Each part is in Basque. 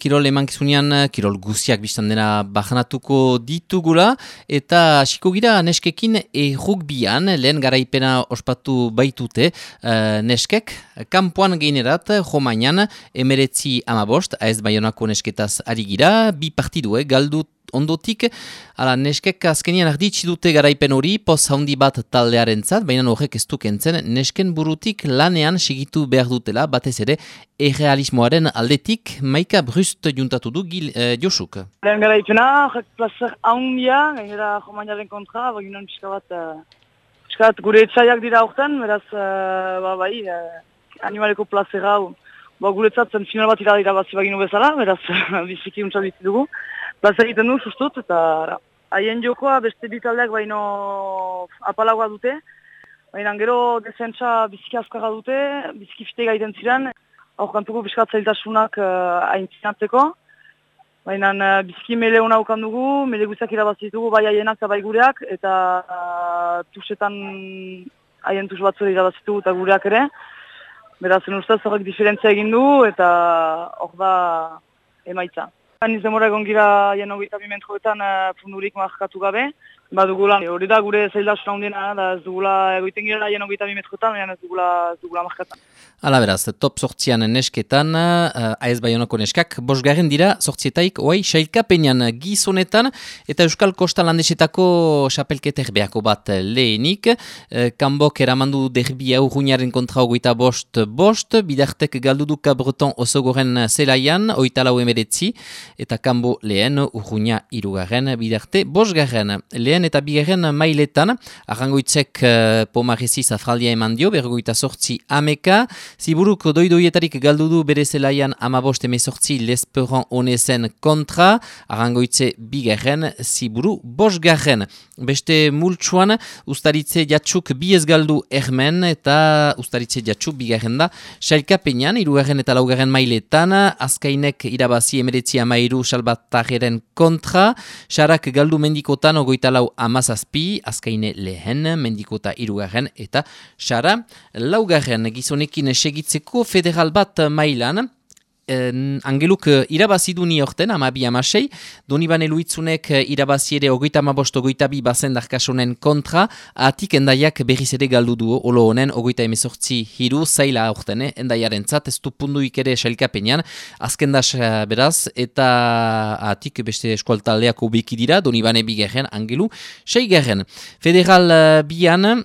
kirol emankizunean, kirol guziak biztan dena bajanatuko ditugula, eta hasiko gira neskekin rugbian, lehen garaipena ospatu baitute, neskek, kanpoan geinerat, Romainan, 19-15, AS Baionako nesketaz ari gira, bi partidue, galdut ondotik, ala neskek azkenian arditsi dute garaipen hori, poz handi bat taldearentzat, baina horrek ez du kentzen, nesken burutik lanean segitu behar dutela, batez ere, errealismoaren aldetik, Maika Brust juntatu du Josuk. Lehen garaipena, horrek plazer handia, gainera Romainaren kontra, baginan pixka bat gure etxaiak dira horten, beraz, animaleko plazera hau, guretzat zen final bat irabazi baginu bezala, beraz, biziki untsa bizi dugu. Plaza egiten du, sustut, eta haien jokoa beste bitaldeak baino apalagoa dute. Baina gero defentsa biziki azkarra dute, biziki fite gaiten ziren. Aurkantuko piskat zailtasunak aintzinatzeko. Baina biziki mele hona ukan dugu, mele guztiak irabazitugu bai haienak eta bai gureak. Eta tusetan haien tus batzure irabazitugu eta gureak ere. Beraz, ustez horrek diferentzia egin du eta hor da emaitza. Niz demora egon gira jen 22 metroetan pundurik markatu gabe. Badugula, hori da gure zaildasun handiena, da ez dugula egoiten gira jen 22 metroetan, baina ez dugula markatan. Hala beraz, top sortzian nesketan, AS Baionako neskak, bosgarren dira sortzietaik, oai, sailkapenean gizonetan, eta Euskal Kosta Landesetako xapelketer beako bat lehenik, kanbok eramandu derbia urruñaren kontra 25-5, bidartek galduduka Breton osogoren zelaian, 24-19, eta kanbo lehen urruña irugarren, bidarte bosgarren. Lehen eta bigarren mailetan, arrangoitzek Pomarezi zafraldia eman dio, 28 Ziburuk doidoietarik galdudu bere zelaian 15-18 Lesperan Onezen kontra, arrangoitze bigarren, Ziburu bosgarren. Beste multsuan, Ustaritze Jatsuk biez galdu ermen, eta Ustaritze Jatsuk bigarren da, sailkapenean, irugarren eta laugarren mailetan, Azkainek irabazi 19-13 Salbatarren kontra, Sarak galdu mendikotan 24-17, Azkaine lehen, mendikota irugarren, eta Sara laugarren gizonekin segitzeko federal bat mailan, Angeluk irabazidu ni horten, 12-16, Donibane Luitzunek irabazi ere 25-22 bazendarkasonen kontra, atik endaiak berriz ere galdu du, olo honen 28-18 zaila horten, endaiaren zat, ez du punduik ere sailkapenean, azkendas beraz, eta atik beste eskualtaldeako beki dira, Donibane bigarren, Angelu, 6garren. Federal bian,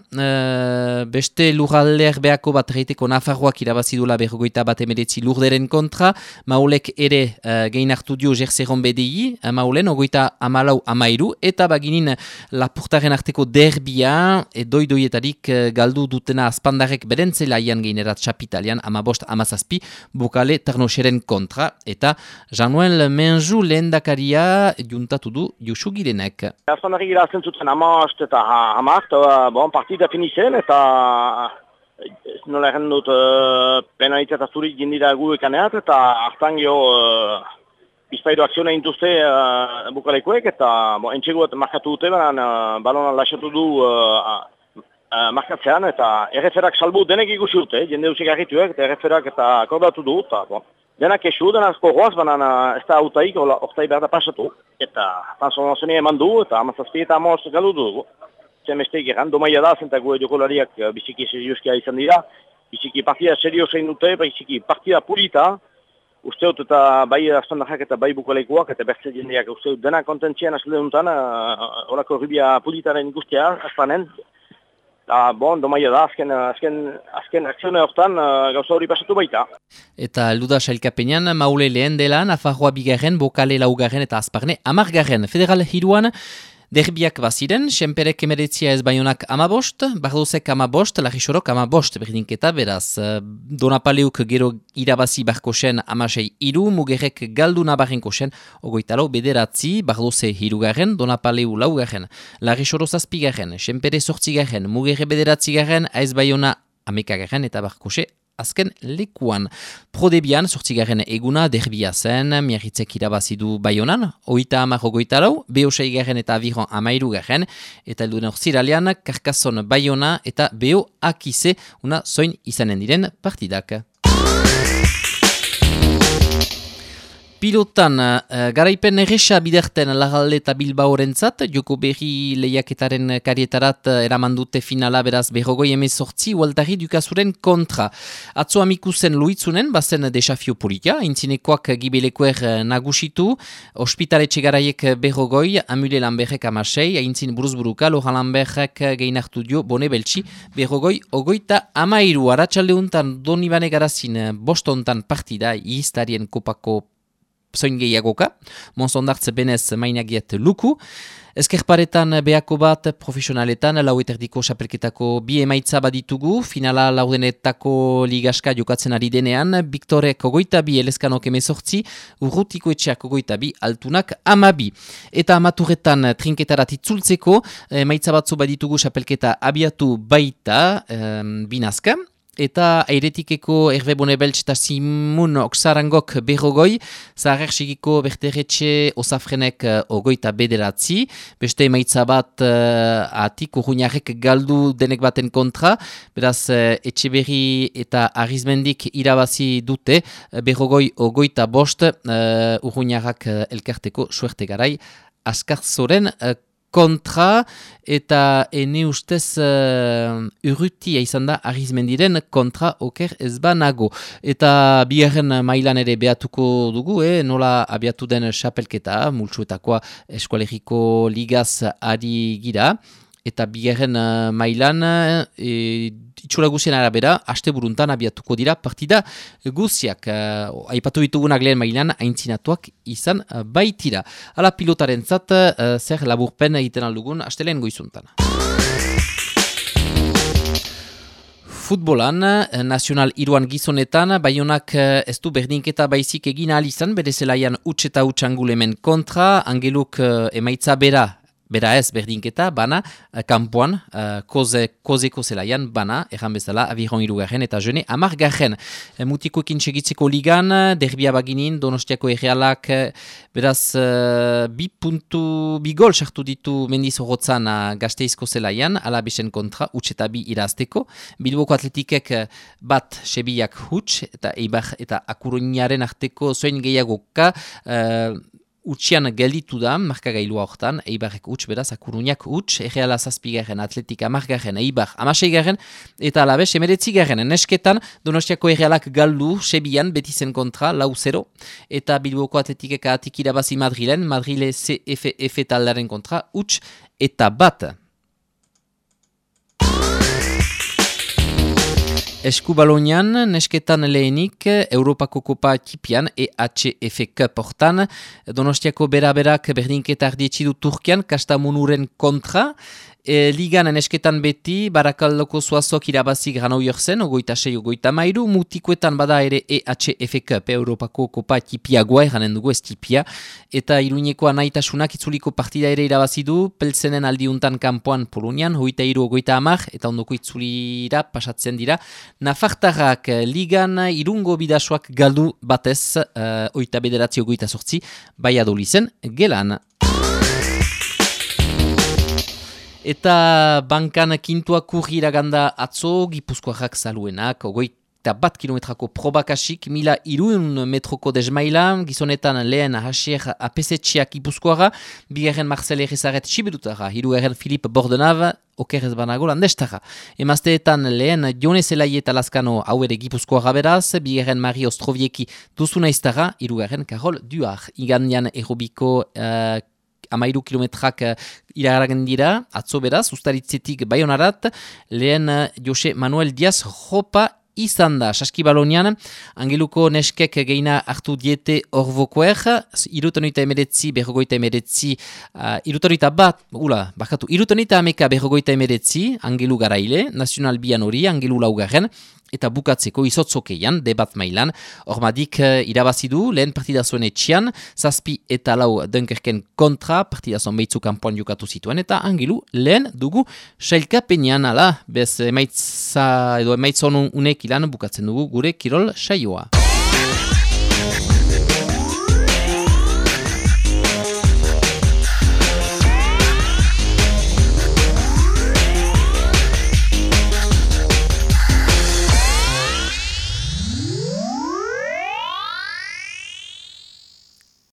beste lurralder beako bat reiteko Nafarroak irabazidula 51-19 lurderen kontra, Maulek ere gehin hartu dio Jerzeron BDI, Maulen, 24-13, eta baginin Lapurtaren arteko derbia, doidoietarik galdu dutena azpandarek berentzelaian geinerat Chapitalian, 15-17, Bokale Tarnoxeren kontra, eta Januel Menju lehendakaria juntatu du Josu Girenek. Azpandarek irazten zuten 15 eta 10, partida finizen, eta nola egin dut penalitzat azurik jindira gu ekaneat, eta hartan gio bizpairu akzione intuzte bukalekoek, eta entxeguat markatu dute, balonan laxatu du markatzean, eta erreferak salbu denek ikusi dute, jende duzik argituek, eta erreferak eta akordatu du, eta denak esu, denazko goaz, ez da autaik, ortai behar da pasatu, eta transformazioa eman du, eta 17 eta 15 galdu dugu. Zemesteik egan, domaia da, zenta gue jokolariak biziki serioskia izan dira, biziki partida seriosein dute, biziki partida pulita, usteot eta bai azpandarrak eta bai bukaleikoak, eta bertze jendeak usteot dena kontentzian azaldeuntan, horako rubia pulitaren ikustea, azpanen, eta domaia da, azken akzione hortan gauza hori pasatu baita. Eta luda sailkapenean, Maule lehen dela, Nafarroa bigarren, Bokale laugarren eta Azparne 10garren. Federal hiruan, derbiak baziren, Senperek 19 AS Baionak 15, Bardozek 15, Larixorok 15 berdinketa, beraz, Donapaleuk gero irabazi Barkosen 16-3, Mugerrek galdu Nabarrenkosen 24-9, Bardoze hirugarren, Donapaleu laugarren, Larixoro 7garren, Senpere 8garren, Mugerre 9garren, AS Baiona 11garren eta Barkose azken lekuan. Prodebian, 8garren eguna derbia zen, Miarritzek irabazidu Baionan, 30-24, BO 6garren eta Aviron 13garren, eta elduen orziralean, Karkazon Baiona eta BO Akize, una zoin izanen diren partidak. Pilotan, garaipen erresa biderten Larralde eta Bilbaorentzat, joko berri lehiaketaren karietarat eraman dute finala beraz berrogoi emezortzi ualtari dukazuren kontra. Atzo amikusen luitzunen, bazen desafio polita, intzinekoak gibelekoer nagusitu, ospitaletxe garaiek berrogoi, Amule Lamberrek amasei, aintzin buruzburuka, Lohan Lamberrek gehinartu dio, bone beltsi, berrogoi, ogoita amairu, aratsalde untan Donibane Garazin, bostontan partida, iztarien kopako zoin gehiagoka, Monsondartz benez mainagiet luku, Ezkerparetan behako bat profesionaletan, laueterdiko xapelketako bi emaitza baditugu, finala laudenetako ligaska jokatzen ari denean, Viktorek ogoita bi, Elezkanok emezortzi, Urrutiko etxeak ogoita bi, Altunak amabi. Eta amaturretan trinketarat itzultzeko, emaitza batzu baditugu xapelketa abiatu baita, binazka, eta airetikeko Herve Bonebeltz eta Simun Oksarangok berrogoi, Zaharerxigiko Berteretxe Osafrenek ogoita bederatzi, beste emaitza bat atik urruñarek galdu denek baten kontra, beraz Etxeberri eta Arizmendik irabazi dute, berrogoi ogoita bost, urruñarrak elkarteko suerte garai, Askarzoren kontra, eta ene ustez urrutia izan da Arizmendiren kontra oker ez banago. Eta bigarren mailan ere behatuko dugu, nola abiatu den xapelketa, multsuetakoa eskualeriko ligaz ari gira, eta bigarren mailan itxura guzien arabera, aste buruntan abiatuko dira partida guziak. Aipatu ditugunak lehen mailan, aintzinatuak izan baitira. Ala pilotaren zat, zer laburpen egiten aldugun, aste lehen goizuntan. Futbolan, nazional iruan gizonetan, Baionak ez du berdinketa baizik egin ahal izan, bere zelaian huts eta huts angulemen kontra, Angeluk emaitza bera ez berdinketa, bana, kampuan, kozeko zelaian, bana, erran bezala, Aviron irugarren eta jene, amargarren. Mutikoekin segitzeko ligan, derbia baginin, Donostiako errealak, beraz, bi gol sartu ditu Mendiz Horrotzan Gasteizko zelaian, alabesen kontra, huts eta bi irazteko. Bilboko atletikek bat sebiak huts, eta Eibar eta Akuruñaren arteko zoin gehiagoka, Utsian gelditu da, markagailua hortan, Eibarrek huts beraz, Akuruñak huts, Erreala zazpigarren, Atletika margarren, Eibar amaseigarren, eta alabez, emeretzigarren, nesketan, Donostiako Errealak galdu, sebian, betizen kontra, 4-0, eta Bilboko Atletikek atik irabazi Madrilen, Madrile CFF taldaren kontra, huts eta bat. Eskubalonian, nesketan lehenik, Europako Kopa Tipian, EHF Cup hortan, Donostiako beraberak berdinketa ardietxidu Turkian, Kastamonuren kontra, ligan nesketan beti, Barakaldoko Zuazok irabazi Granau Jorzen, ogoita 6, ogoita 13, mutikoetan bada ere EHF Cup, Europako Kopa Tipiagoa, eranen dugu ez Tipia, eta Iruñeko anaitasunak itzuliko partida ere irabazi du, Peltzenen aldiuntan kanpoan Polonian, 23, ogoita 10, eta ondoko itzulira pasatzen dira, Nafartarrak ligan irungo bidasoak galdu batez, oita bederatzi ogoita sortzi, Baiadolizen gelan. Eta bankan kintuak urri iraganda atzo, Gipuzkoarrak zaluenak, ogoita bat kilometrako probakasik, 1.200 metroko desmaila, gizonetan lehen hasier apesetxeak Gipuzkoara, bigarren Marcel Errezaret Txibedutara, hirugarren Filip Bordenav, okerrez banago landestara. Emazteetan lehen Jone Zelai eta Lazkano hau ere Gipuzkoara beraz, bigarren Mari Ostrovieki duzuna iztara, hirugarren Karol Duar. Igandian errobiko 13 kilometrak iragaragen dira, atzo beraz, ustaritzetik Baionarat, lehen Jose Manuel Diaz Jopa izan da. Saskibalonian, Angeluko neskek geina hartu diete orvokoer, irutonita emeretzi, berrogoita emeretzi, irutonita ameka berrogoita emeretzi, Angelu garaile, Nacional Bian hori, Angelu laugarren, eta bukatzeko izotzokeian, debat mailan, ormadik irabazidu, lehen partidazuen etxian, zazpi eta lau Dunkerken kontra, partidazuen behitzu kanpoan jokatu zituen, eta Angelu lehen dugu sailkapenean, ala, bez emaitza edo emaitza honunek ilan bukatzen dugu gure kirol saioa.